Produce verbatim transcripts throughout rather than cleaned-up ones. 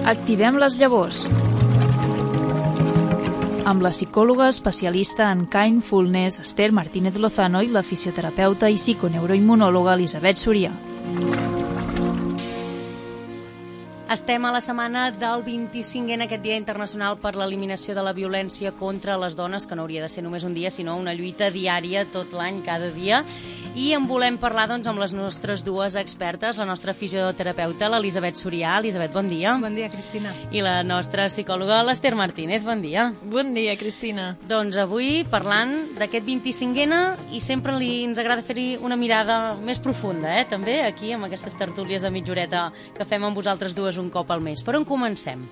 Activem les llavors. Amb la psicòloga especialista en Kindfulness, Esther Martínez Lozano, i la fisioterapeuta i psiconeuroimmunòloga Elisabet Surià. Estem a la setmana del vint-i-cinquè en aquest Dia Internacional per l'Eliminació de la Violència contra les Dones, que no hauria de ser només un dia, sinó una lluita diària tot l'any, cada dia. I en volem parlar doncs, amb les nostres dues expertes, la nostra fisioterapeuta, l'Elisabet Surià. Elisabet, bon dia. Bon dia, Cristina. I la nostra psicòloga, l'Esther Martínez. Bon dia. Bon dia, Cristina. Doncs avui parlant d'aquest vint-i-cinquè i sempre li, ens agrada fer-hi una mirada més profunda, eh? també aquí amb aquestes tertúlies de mitja horeta que fem amb vosaltres dues un cop al mes. Per on comencem?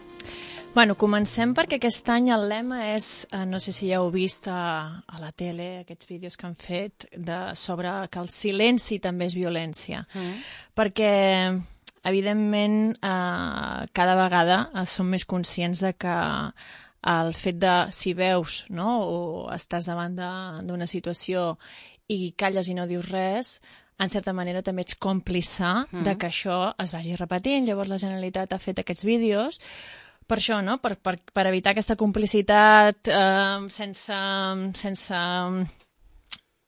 Bueno, comencem perquè aquest any el lema és, eh, no sé si ja heu vist a, a la tele, aquests vídeos que han fet de, sobre que el silenci també és violència. Mm. Perquè, evidentment, eh, cada vegada eh, som més conscients de que el fet de, si veus, no?, o estàs davant d'una situació i calles i no dius res, en certa manera també ets còmplice mm. de que això es vagi repetint. Llavors la Generalitat ha fet aquests vídeos per això, no? Per, per, per evitar aquesta complicitat eh, sense... sense...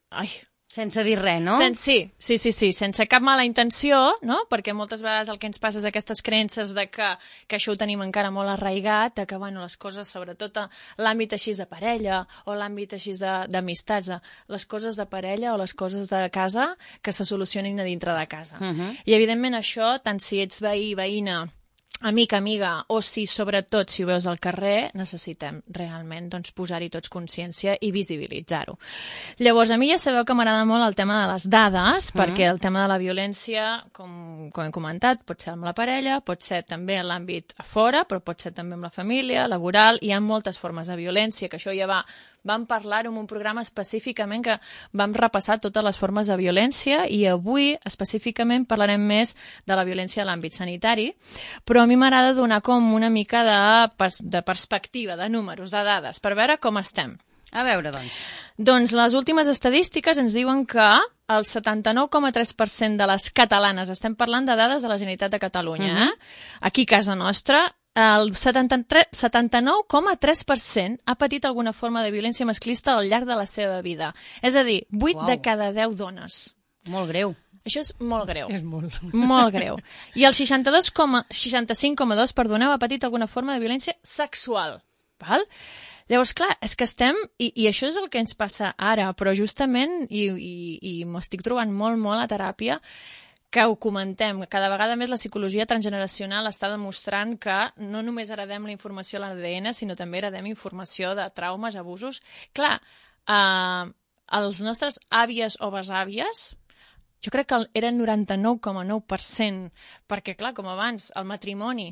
Ai... Sense dir res, no? Sen, sí, sí, sí, sí, sense cap mala intenció, no? Perquè moltes vegades el que ens passa és aquestes creences de que, que això ho tenim encara molt arraigat, de que, bueno, les coses, sobretot a l'àmbit així de parella o l'àmbit així d'amistats, les coses de parella o les coses de casa que se solucionin a dintre de casa. Uh -huh. I, evidentment, això, tant si ets veí, veïna, amic, amiga, o si, sobretot, si ho veus al carrer, necessitem realment doncs, posar-hi tots consciència i visibilitzar-ho. Llavors, a mi ja sabeu que m'agrada molt el tema de les dades, mm. perquè el tema de la violència, com, com hem comentat, pot ser amb la parella, pot ser també en l'àmbit a fora, però pot ser també amb la família, laboral, hi ha moltes formes de violència, que això ja va... Vam parlar-ho en un programa específicament que vam repassar totes les formes de violència i avui específicament parlarem més de la violència a l'àmbit sanitari, però a mi m'agrada donar com una mica de, de perspectiva, de números, de dades, per veure com estem. A veure, doncs. Doncs les últimes estadístiques ens diuen que el setanta-nou coma tres per cent de les catalanes, estem parlant de dades de la Generalitat de Catalunya, uh-huh. eh? Aquí a casa nostra, el setanta-nou coma tres per cent ha patit alguna forma de violència masclista al llarg de la seva vida. És a dir, vuit wow. de cada deu dones. Molt greu. Això és molt greu. És molt. Molt greu. I el seixanta-cinc coma dos, perdoneu, ha patit alguna forma de violència sexual. Val? Llavors, clar, és que estem... I, i això és el que ens passa ara, però justament, i, i, i m'ho estic trobant molt, molt a teràpia, que ho comentem. Cada vegada més la psicologia transgeneracional està demostrant que no només heredem la informació a l'A D N, sinó també heredem informació de traumes, abusos. Clar, eh, els nostres àvies o besàvies, jo crec que eren noranta-nou coma nou per cent, perquè, clar, com abans, el matrimoni,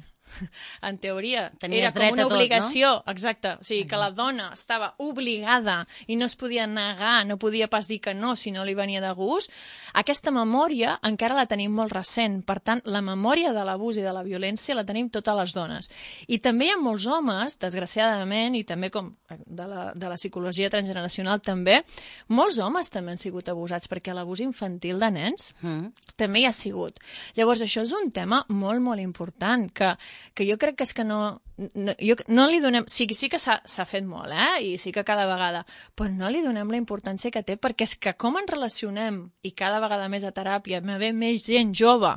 en teoria, tenies era com una tot, obligació, no? exacte, o sigui, que la dona estava obligada i no es podia negar, no podia pas dir que no si no li venia de gust. Aquesta memòria encara la tenim molt recent, per tant, la memòria de l'abús i de la violència la tenim totes les dones. I també hi ha molts homes, desgraciadament, i també com de la, de la psicologia transgeneracional també, molts homes també han sigut abusats, perquè l'abús infantil de nens mm. també hi ha sigut. Llavors, això és un tema molt, molt important, que que jo crec que és que no... no, jo, no li donem... Sí, sí que s'ha fet molt, eh? I sí que cada vegada... Però no li donem la importància que té, perquè és que com ens relacionem, i cada vegada més a teràpia, me ve més gent jove,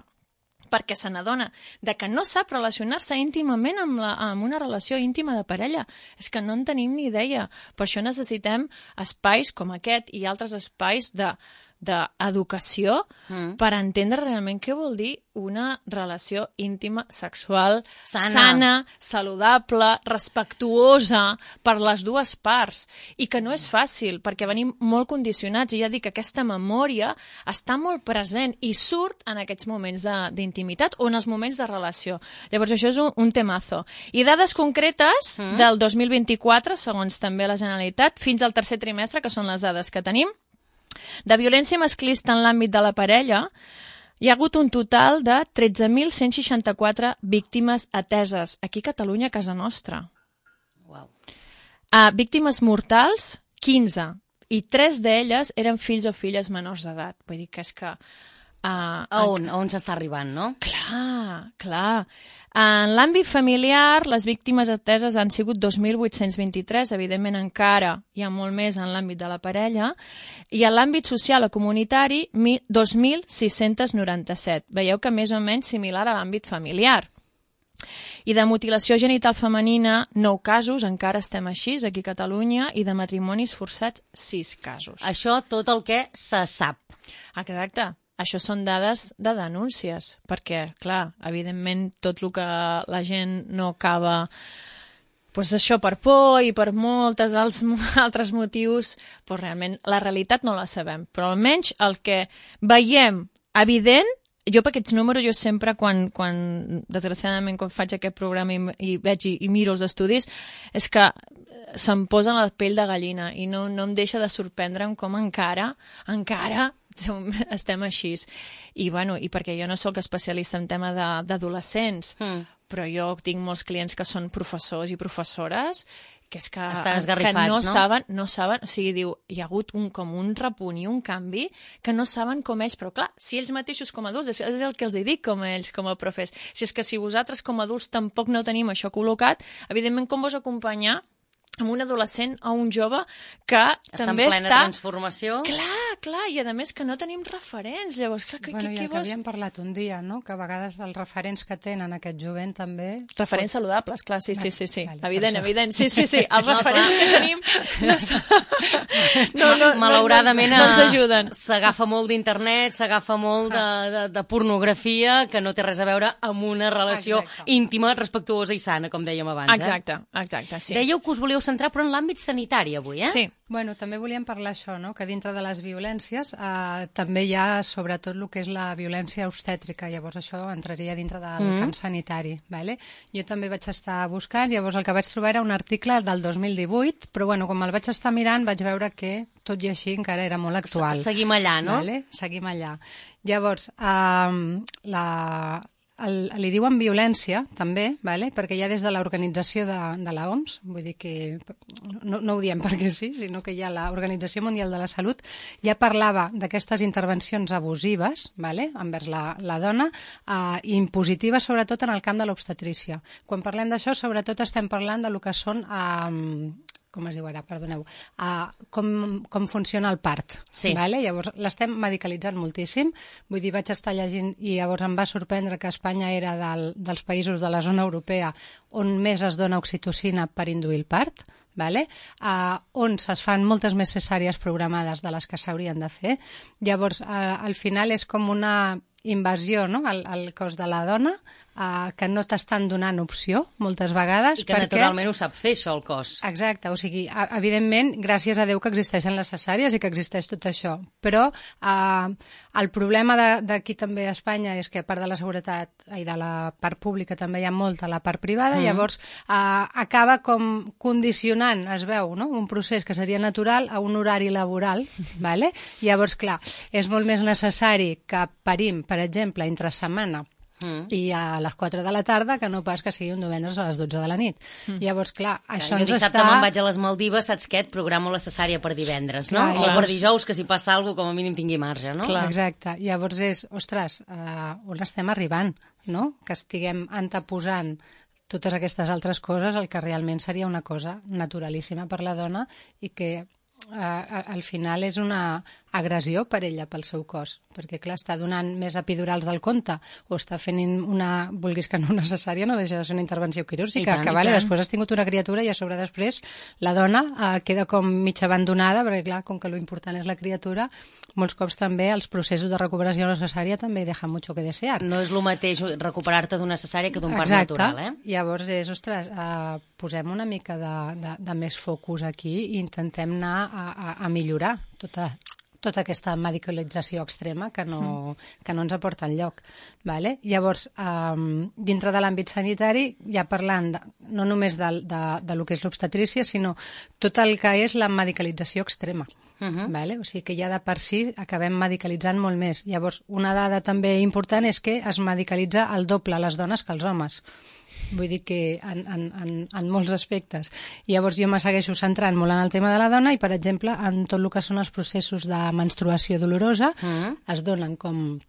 perquè se n'adona de que no sap relacionar-se íntimament amb, la, amb una relació íntima de parella. És que no en tenim ni idea. Per això necessitem espais com aquest i altres espais de d'educació mm. per entendre realment què vol dir una relació íntima, sexual, sana. sana, saludable, respectuosa per les dues parts. I que no és fàcil, perquè venim molt condicionats, i ja dic que aquesta memòria està molt present i surt en aquests moments d'intimitat o en els moments de relació. Llavors això és un, un temazo. I dades concretes mm. del dos mil vint-i-quatre, segons també la Generalitat, fins al tercer trimestre, que són les dades que tenim, de violència masclista en l'àmbit de la parella, hi ha hagut un total de tretze mil cent seixanta-quatre víctimes ateses aquí a Catalunya, a casa nostra. Wow. Uh, víctimes mortals, quinze, i tres d'elles eren fills o filles menors d'edat. Vull dir que és que Uh, a on, a on s'està arribant, no? Clar, clar. En l'àmbit familiar, les víctimes ateses han sigut dos mil vuit-cents vint-i-tres, evidentment encara hi ha molt més en l'àmbit de la parella, i en l'àmbit social o comunitari, dos mil sis-cents noranta-set. Veieu que més o menys similar a l'àmbit familiar. I de mutilació genital femenina, nou casos, encara estem així, aquí a Catalunya, i de matrimonis forçats, sis casos. Això tot el que se sap. Exacte. Això són dades de denúncies, perquè, clar, evidentment, tot el que la gent no acaba, doncs això per por i per moltes altres motius, doncs realment la realitat no la sabem. Però almenys el que veiem evident, jo per aquests números, jo sempre, quan, quan desgraciadament, quan faig aquest programa i, i veig i, i miro els estudis, és que se'm posa la pell de gallina i no, no em deixa de sorprendre'm com encara, encara, estem així. I, bueno, i perquè jo no sóc especialista en tema d'adolescents, mm. però jo tinc molts clients que són professors i professores que és que, que no, no? saben, no saben, o sigui, diu, hi ha hagut un, com un repunt i un canvi que no saben com ells, però clar, si ells mateixos com a adults, és, és el que els dic com a ells, com a profes, si és que si vosaltres com a adults tampoc no tenim això col·locat, evidentment com vos acompanyar amb un adolescent o un jove que està també en plena està... transformació. Clar, clar, i a més que no tenim referents, llavors, clar, que, bueno, que, que, que que vos... havíem parlat un dia, no?, que a vegades els referents que tenen aquest jovent també... Referents saludables, clar, sí, sí, sí, sí. Vale, evident, evident, sí, sí, sí, els no, referents clar. que tenim no, són... no, no, malauradament no, no ens ajuden. S'agafa molt d'internet, s'agafa molt de, de, de pornografia que no té res a veure amb una relació Exacte. íntima, respectuosa i sana, com dèiem abans. Exacte, eh? exacte, sí. Dèieu que us volíeu centrar, però en l'àmbit sanitari avui, eh? Sí. Bueno, també volíem parlar això, no?, que dintre de les violències eh, també hi ha sobretot el que és la violència obstètrica, llavors això entraria dintre del mm. camp sanitari, vale? Jo també vaig estar buscant, llavors el que vaig trobar era un article del dos mil divuit, però bueno, com el vaig estar mirant vaig veure que tot i així encara era molt actual. Seguim allà, no? Vale? Seguim allà. Llavors, eh, la... El, li diuen violència, també, vale? Perquè ja des de l'organització de, de l'O M S, vull dir que no, no ho diem perquè sí, sinó que ja l'Organització Mundial de la Salut ja parlava d'aquestes intervencions abusives, vale? Envers la, la dona, eh, i impositives sobretot en el camp de l'obstetrícia. Quan parlem d'això, sobretot estem parlant de lo que són... Eh, com es diu ara, perdoneu, uh, com, com funciona el part. Sí. Vale? Llavors, l'estem medicalitzant moltíssim. Vull dir, vaig estar llegint i llavors em va sorprendre que Espanya era del, dels països de la zona europea on més es dona oxitocina per induir el part, vale? uh, on es fan moltes més cesàries programades de les que s'haurien de fer. Llavors, uh, al final és com una invasió, no?, al, al cos de la dona, uh, que no t'estan donant opció moltes vegades. I que perquè... naturalment ho sap fer, això, el cos. Exacte, o sigui, evidentment, gràcies a Déu que existeixen les cesàries i que existeix tot això, però eh, el problema d'aquí també a Espanya és que a part de la seguretat i de la part pública també hi ha molta la part privada, mm. llavors eh, acaba com condicionant, es veu, no?, un procés que seria natural a un horari laboral, vale? Llavors, clar, és molt més necessari que parim, per exemple, entre setmana mm. i a les quatre de la tarda que no pas que sigui un divendres a les dotze de la nit. Mm. Llavors, clar, això jo ens dissabte està... me'n vaig a les Maldives, saps què? Et programo la cesària per divendres, no? Clar, o clar. per dijous, que si passa alguna cosa, com a mínim tingui marge, no? Clar. Exacte. Llavors és, ostres, uh, on estem arribant, no? Que estiguem anteposant totes aquestes altres coses, el que realment seria una cosa naturalíssima per la dona i que uh, al final és una agressió per ella, pel seu cos, perquè clar, està donant més epidurals del compte o està fent una, vulguis que no necessària, no deixa de ser una intervenció quirúrgica, tant, que vale, després has tingut una criatura i a sobre després la dona eh, queda com mig abandonada, perquè clar, com que lo important és la criatura, molts cops també els processos de recuperació necessària també deixen mucho que desear. No és el mateix recuperar-te d'una cesària que d'un part natural, eh? Llavors és, ostres, eh, posem una mica de, de, de més focus aquí i intentem anar a, a, a millorar tota tota aquesta medicalització extrema que no, que no ens aporta enlloc. Vale? Llavors, um, dintre de l'àmbit sanitari, ja parlant de, no només de, de, de lo que és l'obstetrícia, sinó tot el que és la medicalització extrema. Uh-huh. Vale? O sigui que ja de per si acabem medicalitzant molt més. Llavors, una dada també important és que es medicalitza el doble les dones que els homes. Vull dir que en, en, en, en molts aspectes. Llavors jo me segueixo centrant molt en el tema de la dona i, per exemple, en tot el que són els processos de menstruació dolorosa, uh-huh. es donen com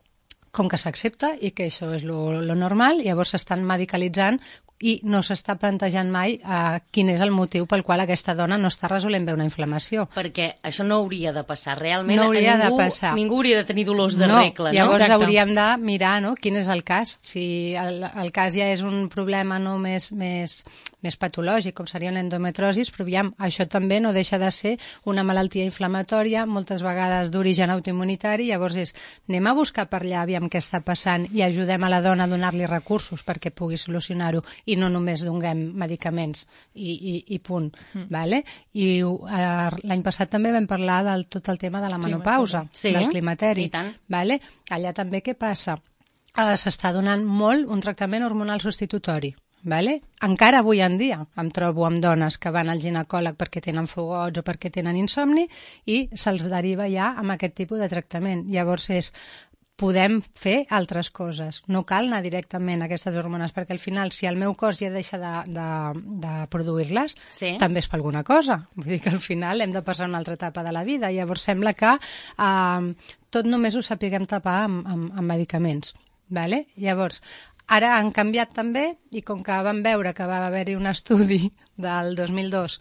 com que s'accepta i que això és lo, lo normal, llavors s'estan medicalitzant i no s'està plantejant mai uh, quin és el motiu pel qual aquesta dona no està resolent bé una inflamació. Perquè això no hauria de passar. Realment no hauria ningú, de passar. ningú hauria de tenir dolors de no, regla. No? Llavors Exacte. hauríem de mirar, no?, quin és el cas. Si el, el cas ja és un problema no més, més, més patològic, com seria una endometrosis, però aviam, això també no deixa de ser una malaltia inflamatòria, moltes vegades d'origen autoimmunitari, llavors és, anem a buscar per allà, aviam què està passant, i ajudem a la dona a donar-li recursos perquè pugui solucionar-ho, i no només donem medicaments i, i, i punt. Mm. Vale? I uh, l'any passat també vam parlar del tot el tema de la menopausa, sí, del climateri. Vale? Allà també què passa? Uh, S'està donant molt un tractament hormonal substitutori. Vale? Encara avui en dia em trobo amb dones que van al ginecòleg perquè tenen fogots o perquè tenen insomni i se'ls deriva ja amb aquest tipus de tractament. Llavors és podem fer altres coses. No cal anar directament a aquestes hormones, perquè al final, si el meu cos ja deixa de, de, de produir-les, sí. també és per alguna cosa. Vull dir que al final hem de passar una altra etapa de la vida. Llavors sembla que eh, tot només ho sapiguem tapar amb, amb, amb medicaments. Vale? Llavors, ara han canviat també, i com que vam veure que va haver-hi un estudi del dos mil dos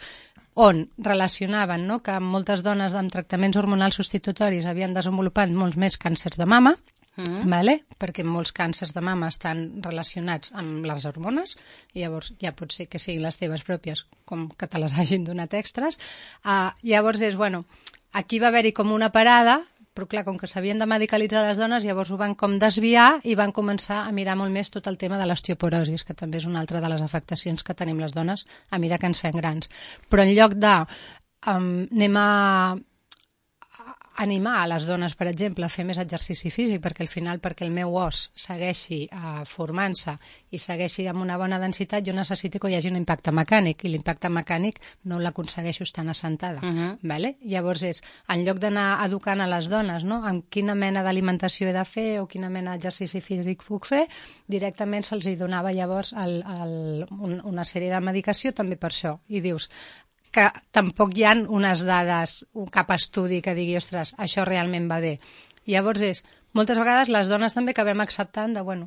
on relacionaven, no?, que moltes dones amb tractaments hormonals substitutoris havien desenvolupat molts més càncers de mama, mm. vale? Perquè molts càncers de mama estan relacionats amb les hormones, i llavors ja pot ser que siguin les teves pròpies, com que te les hagin donat extras. Uh, llavors és, bueno, aquí va haver-hi com una parada, però clar, com que s'havien de medicalitzar les dones, llavors ho van com desviar i van començar a mirar molt més tot el tema de l'osteoporosis, que també és una altra de les afectacions que tenim les dones a mesura que ens fem grans. Però en lloc de um, anem a animar a les dones, per exemple, a fer més exercici físic, perquè al final, perquè el meu os segueixi uh, formant-se i segueixi amb una bona densitat, jo necessito que hi hagi un impacte mecànic, i l'impacte mecànic no l'aconsegueixo estant assentada. Uh-huh. Vale? Llavors és, en lloc d'anar educant a les dones, no?, en quina mena d'alimentació he de fer o quina mena d'exercici físic puc fer, directament se'ls hi donava llavors el, el, un, una sèrie de medicació també per això. I dius que tampoc hi ha unes dades, cap estudi que digui, ostres, això realment va bé. Llavors és, moltes vegades les dones també acabem acceptant de, bueno,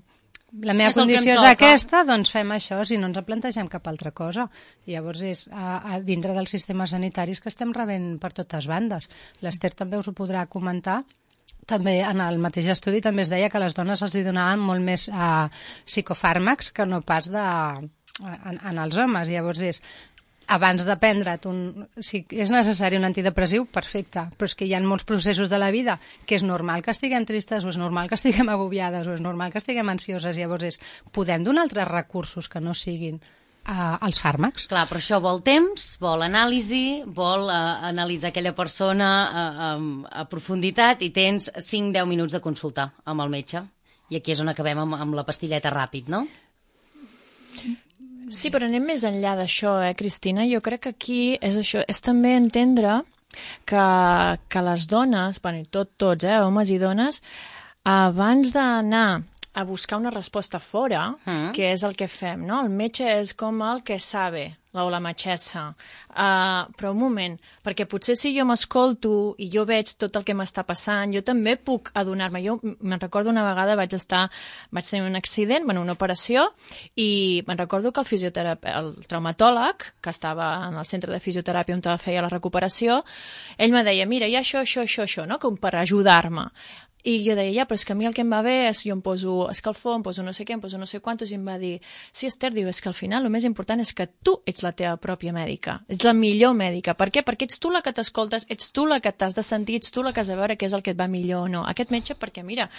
la meva és condició és aquesta, doncs fem això, si no ens plantegem cap altra cosa. I llavors és a, a dintre dels sistemes sanitaris que estem rebent per totes bandes. L'Ester també us ho podrà comentar. També en el mateix estudi també es deia que a les dones els donaven molt més uh, psicofàrmacs que no pas de, en, en els homes. Llavors és, abans de prendre't un... Si és necessari un antidepressiu, perfecte, però és que hi ha molts processos de la vida que és normal que estiguem tristes, o és normal que estiguem agobiades, o és normal que estiguem ansioses. Llavors és, podem donar altres recursos que no siguin uh, els fàrmacs? Clar, però això vol temps, vol anàlisi, vol uh, analitzar aquella persona uh, um, a profunditat, i tens cinc a deu minuts de consultar amb el metge. I aquí és on acabem amb, amb la pastilleta ràpid, no? Sí, però anem més enllà d'això, eh, Cristina? Jo crec que aquí és això, és també entendre que, que les dones, bueno, tot, tots, eh, homes i dones, abans d'anar a buscar una resposta fora, mm. que és el que fem, no? El metge és com el que sabe, o la metgessa. Uh, però un moment, perquè potser si jo m'escolto i jo veig tot el que m'està passant, jo també puc adonar-me. Jo me'n recordo una vegada vaig estar, vaig tenir un accident, bueno, una operació, i me'n recordo que el fisioterapeut, el traumatòleg, que estava en el centre de fisioteràpia on feia la recuperació, ell me deia, mira, hi ha això, això, això, això, no? Com per ajudar-me. I jo deia, ja, però és que a mi el que em va bé és jo em poso escalfor, em poso no sé què, em poso no sé quantos, i em va dir, sí, Esther, diu, és que al final el més important és que tu ets la teva pròpia mèdica, ets la millor mèdica. Per què? Perquè ets tu la que t'escoltes, ets tu la que t'has de sentir, ets tu la que has de veure què és el que et va millor o no. Aquest metge, perquè mira,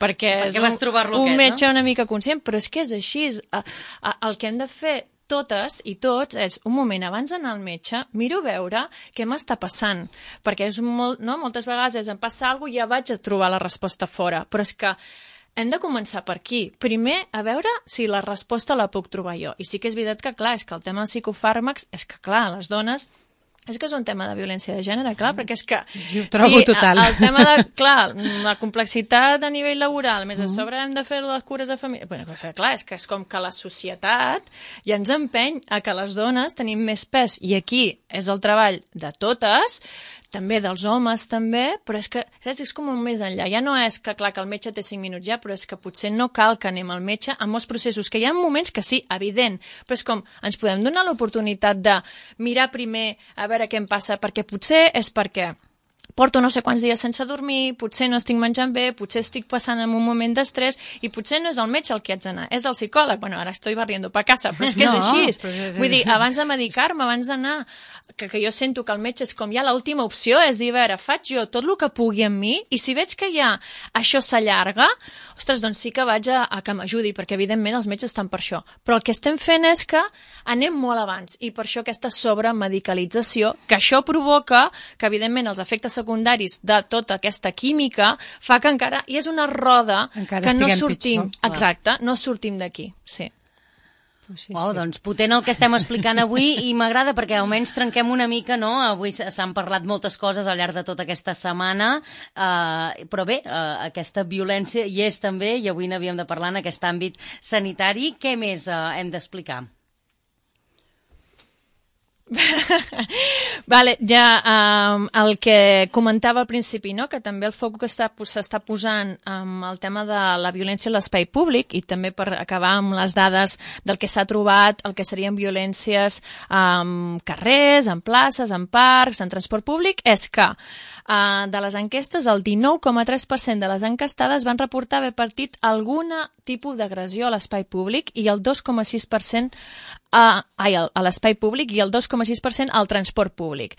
perquè, perquè és un, un aquest, metge no? una mica conscient, però és que és així, és, a, a, el que hem de fer totes i tots és, un moment, abans d'anar al metge, miro veure què m'està passant, perquè és molt, no? moltes vegades és, em passa alguna cosa i ja vaig a trobar la resposta fora, però és que hem de començar per aquí. Primer, a veure si la resposta la puc trobar jo. I sí que és veritat que, clar, és que el tema dels psicofàrmacs, és que, clar, les dones... És que és un tema de violència de gènere, clar, perquè és que... Jo ho trobo sí, total. El tema de, clar, la complexitat a nivell laboral, més a sobre hem de fer les cures de família... Bueno, clar, és que és com que la societat ja ens empeny a que les dones tenim més pes, i aquí és el treball de totes, també dels homes també, però és que saps, és com un més enllà. Ja no és que, clar, que el metge té cinc minuts ja, però és que potser no cal que anem al metge en molts processos, que hi ha moments que sí, evident, però és com ens podem donar l'oportunitat de mirar primer a veure què em passa, perquè potser és perquè porto no sé quants dies sense dormir, potser no estic menjant bé, potser estic passant en un moment d'estrès i potser no és el metge el que haig d'anar, és el psicòleg. Bueno, ara estoy barriendo pa casa, però és que és No, així. però és- Vull dir, abans de medicar-me, abans d'anar, que, que jo sento que el metge és com ja l'última opció, és dir, a veure, faig jo tot el que pugui amb mi i si veig que ja això s'allarga, ostres, doncs sí que vaig a, a que m'ajudi, perquè evidentment els metges estan per això. Però el que estem fent és que anem molt abans i per això aquesta sobremedicalització, que això provoca que evidentment els efectes secundaris de tota aquesta química fa que encara, i és una roda Encara que no estiguem sortim, pitjor. exacte, no sortim d'aquí, sí. Sí, Uau, sí. doncs potent el que estem explicant avui i m'agrada perquè almenys trenquem una mica, no? Avui s- s'han parlat moltes coses al llarg de tota aquesta setmana, eh, però bé, eh, aquesta violència hi és també i avui n'havíem de parlar en aquest àmbit sanitari. Què més eh, hem d'explicar? Vale, ja um, el que comentava al principi, no? Que també el foc que està- s'està posant amb el tema de la violència a l'espai públic i també per acabar amb les dades del que s'ha trobat, el que serien violències en carrers, en places, en parcs, en transport públic, és que uh, de les enquestes el dinou coma tres per cent de les enquestades van reportar haver patit algun tipus d'agressió a l'espai públic i el dos coma sis per cent a, ai, a l'espai públic i el dos coma sis per cent al transport públic.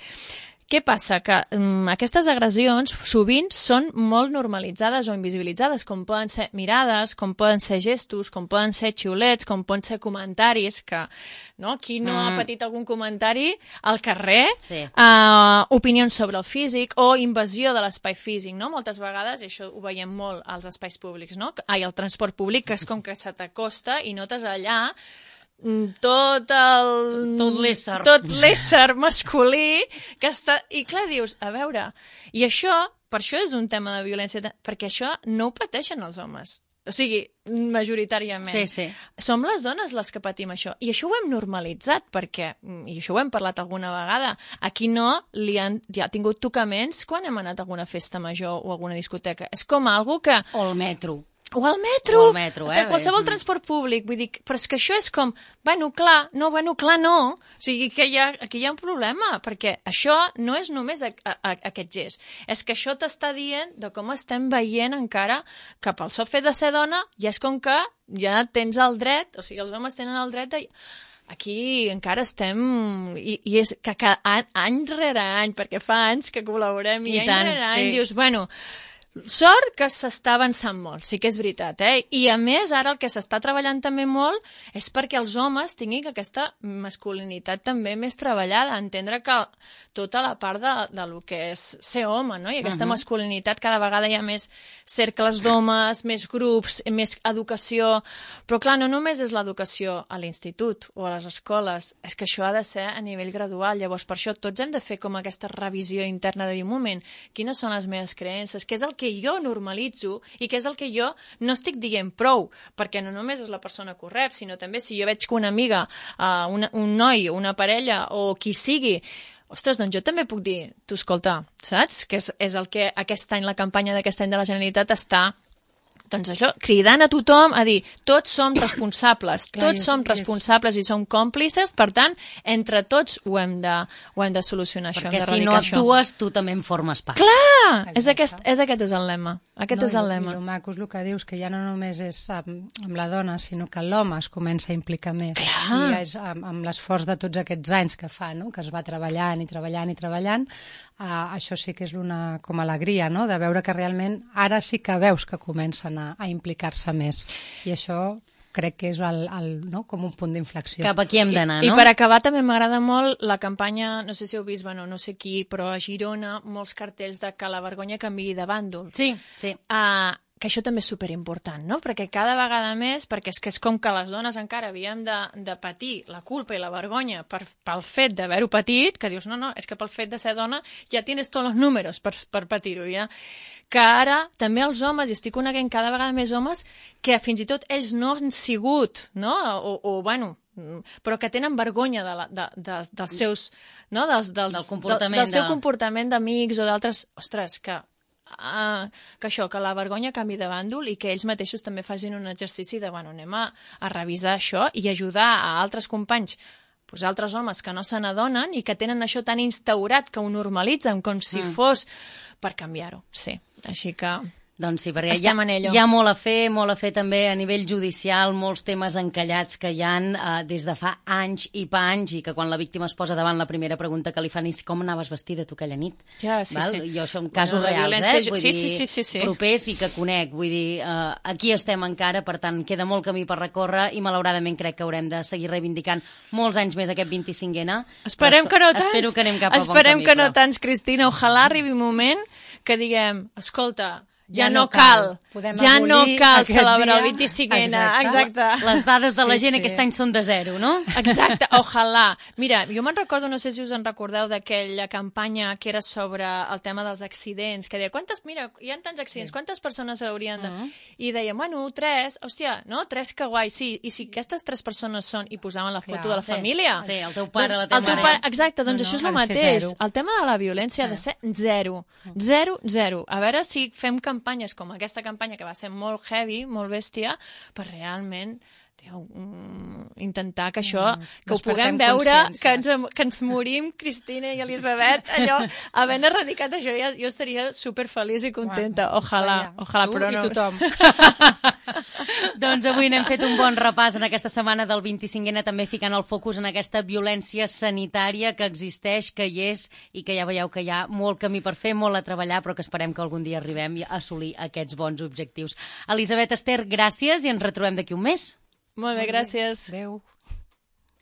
Què passa? Que um, aquestes agressions sovint són molt normalitzades o invisibilitzades, com poden ser mirades, com poden ser gestos, com poden ser xiulets, com poden ser comentaris, que no? Qui no mm. ha patit algun comentari al carrer, Sí. uh, opinions sobre el físic o invasió de l'espai físic, no? Moltes vegades, i això ho veiem molt als espais públics, no? Ai, al transport públic, que és com que se t'acosta i notes allà tot el... Tot l'ésser. Tot l'ésser masculí que està... I clar, dius, a veure, i això, per això és un tema de violència, perquè això no ho pateixen els homes. O sigui, majoritàriament. Sí, sí. Som les dones les que patim això. I això ho hem normalitzat, perquè, i això ho hem parlat alguna vegada, aquí no li han, ja ha tingut tocaments quan hem anat a alguna festa major o a alguna discoteca. És com algo que... O el metro. O al metro, O al metro, eh? de qualsevol transport públic, vull dir, però és que això és com, bueno, clar, no, bueno, clar, no, o sigui que hi ha, aquí hi ha un problema, perquè això no és només a, a, a, aquest gest, és que això t'està dient de com estem veient encara que pel sol fet de ser dona ja és com que ja tens el dret, o sigui, els homes tenen el dret de... Aquí encara estem, i, i és que cada, any, any rere any, perquè fa anys que col·laborem, i, I any tant, rere any sí. dius, bueno, sort que s'està avançant molt, sí que és veritat, eh? I a més ara el que s'està treballant també molt és perquè els homes tinguin aquesta masculinitat també més treballada, entendre que tota la part de, de lo que és ser home, no? I aquesta uh-huh. masculinitat cada vegada hi ha més cercles d'homes, més grups, més educació, però clar, no només és l'educació a l'institut o a les escoles, és que això ha de ser a nivell gradual, llavors per això tots hem de fer com aquesta revisió interna de dir, un moment, quines són les meves creences, què és el que jo normalitzo i què és el que jo no estic dient prou, perquè no només és la persona que ho rep, sinó també si jo veig que una amiga, uh, una, un noi, una parella o qui sigui, ostres, doncs jo també puc dir, tu escolta, saps? Que és, és el que aquest any, la campanya d'aquest any de la Generalitat està, doncs això, cridant a tothom a dir, tots som responsables, Clar, tots és- som és- responsables i som còmplices, per tant, entre tots ho hem de, ho hem de solucionar, això, Perquè hem si no d'erradicar això. actues, tu també en formes part. Clar! És Exacte. aquest, és aquest és el lema. Aquest no, és el i- lema. I el maco és el que dius, que ja no només és amb, amb la dona, sinó que l'home es comença a implicar més. Clar. I és amb, amb l'esforç de tots aquests anys que fa, no? Que es va treballant i treballant i treballant, uh, això sí que és una com alegria, no? De veure que realment ara sí que veus que comencen a, a implicar-se més. I això crec que és el, el, no? com un punt d'inflexió. Cap aquí hem d'anar, I no? per acabar també m'agrada molt la campanya, no sé si heu vist, bueno, no sé qui, però a Girona, molts cartells de que la vergonya canviï de bàndol. Sí, sí. Uh, que això també és superimportant, no? Perquè cada vegada més, perquè és que és com que les dones encara havíem de, de patir la culpa i la vergonya per, pel fet d'haver-ho patit, que dius, no, no, és que pel fet de ser dona ja tienes tots els números per, per patir-ho, ja. Que ara també els homes, i estic coneguent cada vegada més homes, que fins i tot ells no han sigut, no? O, o bueno, però que tenen vergonya de la, de, de, dels seus... No? Dels, dels, del comportament. De, del seu de... comportament d'amics o d'altres... Ostres, que... Uh, que això, que la vergonya canvi de bàndol i que ells mateixos també facin un exercici de, bueno, anem a, a revisar això i ajudar a altres companys, pues, altres homes que no se n'adonen i que tenen això tan instaurat que ho normalitzen com si mm. fos per canviar-ho, sí. Així que... Doncs sí, perquè hi ha, hi ha molt a fer, molt a fer també a nivell judicial, molts temes encallats que hi ha eh, des de fa anys i panys i que quan la víctima es posa davant la primera pregunta que li fan és com anaves vestida tu aquella nit? Ja, sí, Val? sí. Jo són casos bueno, reals, violència... eh? Vull sí, dir, sí, sí, sí, sí. propers i que conec. Vull dir, eh, aquí estem encara, per tant, queda molt camí per recórrer i malauradament crec que haurem de seguir reivindicant molts anys més aquest vint-i-cinquena. Esperem que no tants. Espero que anem cap a bon camí. Esperem que no però... tants, Cristina. Ojalà arribi un moment que diguem, escolta... Ja, ja no cal, cal. ja no cal celebrar el dia. vint-i-cinquena. Exacte. Exacte. Les dades de la Sí, gent sí. aquest any són de zero, no? Exacte, ojalà. Mira, jo me'n recordo, no sé si us en recordeu, d'aquella campanya que era sobre el tema dels accidents, que deia, quantes, mira, hi ha tants accidents, quantes persones haurien de... Uh-huh. I deia, bueno, tres, hòstia, no, tres, que guai, sí, i si aquestes tres persones són, i posaven la foto Clar, de la sí. família. Sí, el teu pare, doncs, la teva el teu mare. pare, exacte, doncs No, no, això és ha el de ser mateix. zero. El tema de la violència ha de ser zero. Zero, zero. A veure si fem campanyes com aquesta campanya que va ser molt heavy, molt bèstia, per realment tio, mm, intentar que això, Mm, que ho despertem puguem veure, que ens, consciències. que ens morim, Cristina i Elisabet, allò, havent erradicat això, ja, jo estaria superfeliç i contenta. Ojalà, Vaja, ojalà, tu però no... i tothom. Doncs avui n'hem fet un bon repàs en aquesta setmana del vint-i-cinquena, també ficant el focus en aquesta violència sanitària que existeix, que hi és i que ja veieu que hi ha molt camí per fer, molt a treballar, però que esperem que algun dia arribem a assolir aquests bons objectius. Elisabet, Ester, gràcies i ens retrobem d'aquí un mes. Molt bé, gràcies. Adéu.